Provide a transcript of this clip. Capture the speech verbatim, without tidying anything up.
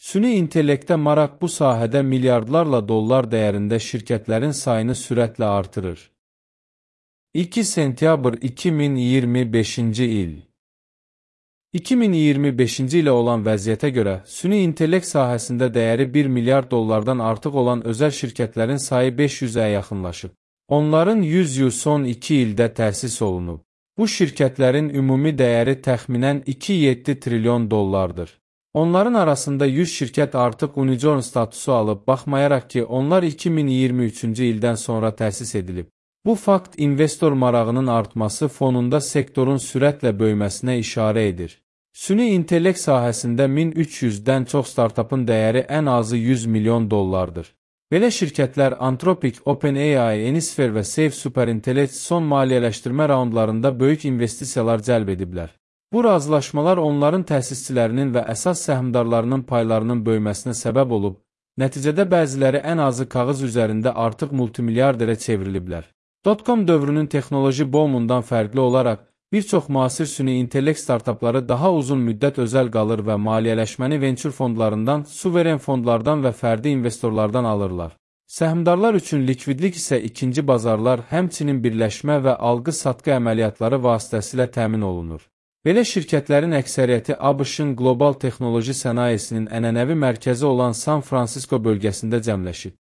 Süni intellektə maraq bu sahədə milyardlarla dollar dəyərində şirkətlərin sayını sürətlə artırır. iki sentyabr iki min iyirmi beşinci il iki min iyirmi beşinci ilə olan vəziyyətə görə, süni intellekt sahəsində dəyəri bir milyard dollardan artıq olan özəl şirkətlərin sayı beş yüzə yaxınlaşıb. Onların yüz il son iki ildə təsis olunub. Bu şirkətlərin ümumi dəyəri təxminən iki nöqtə yeddi trilyon dollardır. Onların arasında yüz şirkət artıq unicorn statusu alıb, baxmayaraq ki, onlar iki min iyirmi üçüncü ildən sonra təsis edilib. Bu fakt investor marağının artması fonunda sektorun sürətlə böyüməsinə işarə edir. Süni intellekt sahəsində min üç yüzdən çox startupın dəyəri ən azı yüz milyon dollardır. Belə şirkətlər Anthropic, OpenAI, Enisphere və Safe Superintellect son maliyyələşdirmə raundlarında böyük investisiyalar cəlb ediblər. Bu razılaşmalar onların təsisçilərinin və əsas səhmdarlarının paylarının böyüməsinə səbəb olub, nəticədə bəziləri ən azı kağız üzərində artıq multimilyarderə çevriliblər. Dotcom dövrünün texnoloji boomundan fərqli olaraq, bir çox müasir süni intellekt startupları daha uzun müddət özəl qalır və maliyyələşməni venture fondlarından, suveren fondlardan və fərdi investorlardan alırlar. Səhmdarlar üçün likvidlik isə ikinci bazarlar, həmçinin birləşmə və alqı-satqı əməliyyatları vasitəsilə təmin olunur. Belə şirkətlərin əksəriyyəti ABŞ-ın qlobal texnoloji sənayesinin ənənəvi mərkəzi olan San Francisco bölgəsində cəmləşib.